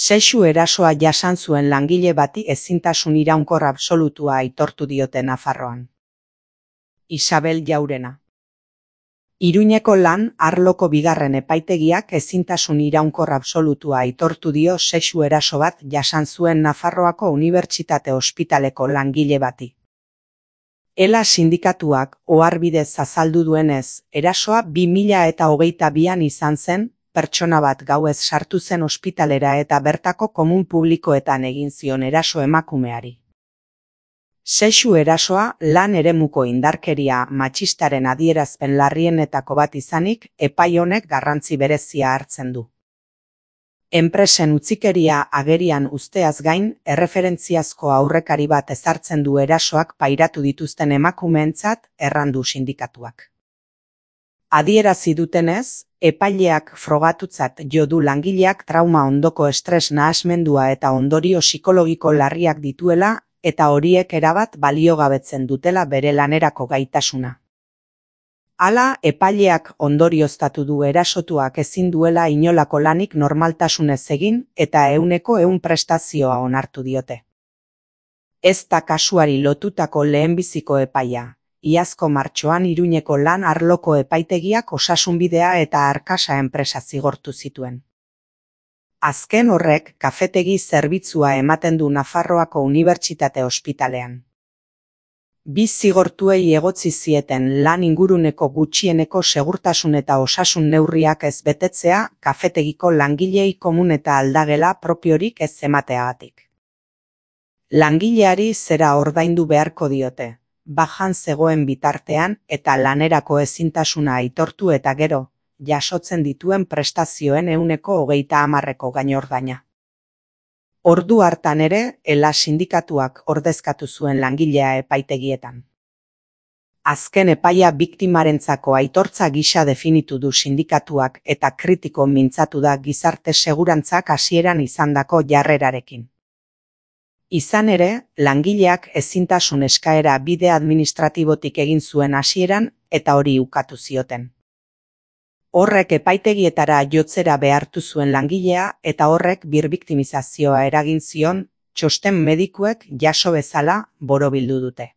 Sexu erasoa jasan zuen langile bati ezintasun iraunkor absolutua aitortu diote Nafarroan. Isabel Jaurena. Iruñeko lan arloko bigarren epaitegiak ezintasun iraunkor absolutua aitortu dio sexu eraso bat jasan zuen Nafarroako Unibertsitate Ospitaleko langile bati. Ela sindikatuak oharbidez azaldu duenez, erasoa 2022an izan zen, pertsona bat gauez sartu zen ospitalera eta bertako komun publikoetan egin zion eraso emakumeari. Sexu erasoa lan eremuko indarkeria matxistaren adierazpen larrienetako bat izanik, epai honek garrantzi berezia hartzen du. Enpresen utzikeria agerian uzteaz gain, erreferentziazko aurrekari bat ezartzen du erasoak pairatu dituzten emakumeentzat, errandu sindikatuak. Adierazi dutenez, epaileak frogatutzat jo du langileak trauma ondoko estres nahasmendua eta ondorio psikologiko larriak dituela eta horiek erabat baliogabetzen dutela bere lanerako gaitasuna. Hala, epaileak ondorioztatu du erasotuak ezin duela inolako lanik normaltasunez egin eta 100% prestazioa onartu diote. Ez da kasuari lotutako lehenbiziko epaia. Iazko martxoan Iruñeko lan arloko epaitegiak Osasunbidea eta Arkasa enpresa zigortu zituen. Azken horrek kafetegi zerbitzua ematen du Nafarroako Unibertsitate Ospitalean. Bi zigortuei egotzi zieten lan inguruneko gutxieneko segurtasun eta osasun neurriak ez betetzea kafetegiko langilei komun eta aldagela propiorik ez emateagatik. Langileari zera ordaindu beharko diote, bajan zegoen bitartean eta lanerako ezintasuna aitortu eta gero, jasotzen dituen prestazioen 130% gainordaina. Ordu hartan ere, Ela sindikatuak ordezkatu zuen langilea epaitegietan. Azken epaia biktimarentzako aitortza gisa definitu du sindikatuak eta kritiko mintzatu da gizarte segurantzak hasieran izandako jarrerarekin. Izan ere, langileak ezintasun eskaera bide administratibotik egin zuen hasieran eta hori ukatu zioten. Horrek epaitegietara jotzera behartu zuen langilea eta horrek birbiktimizazioa eragin zion, txosten medikuek jaso bezala borobildu dute.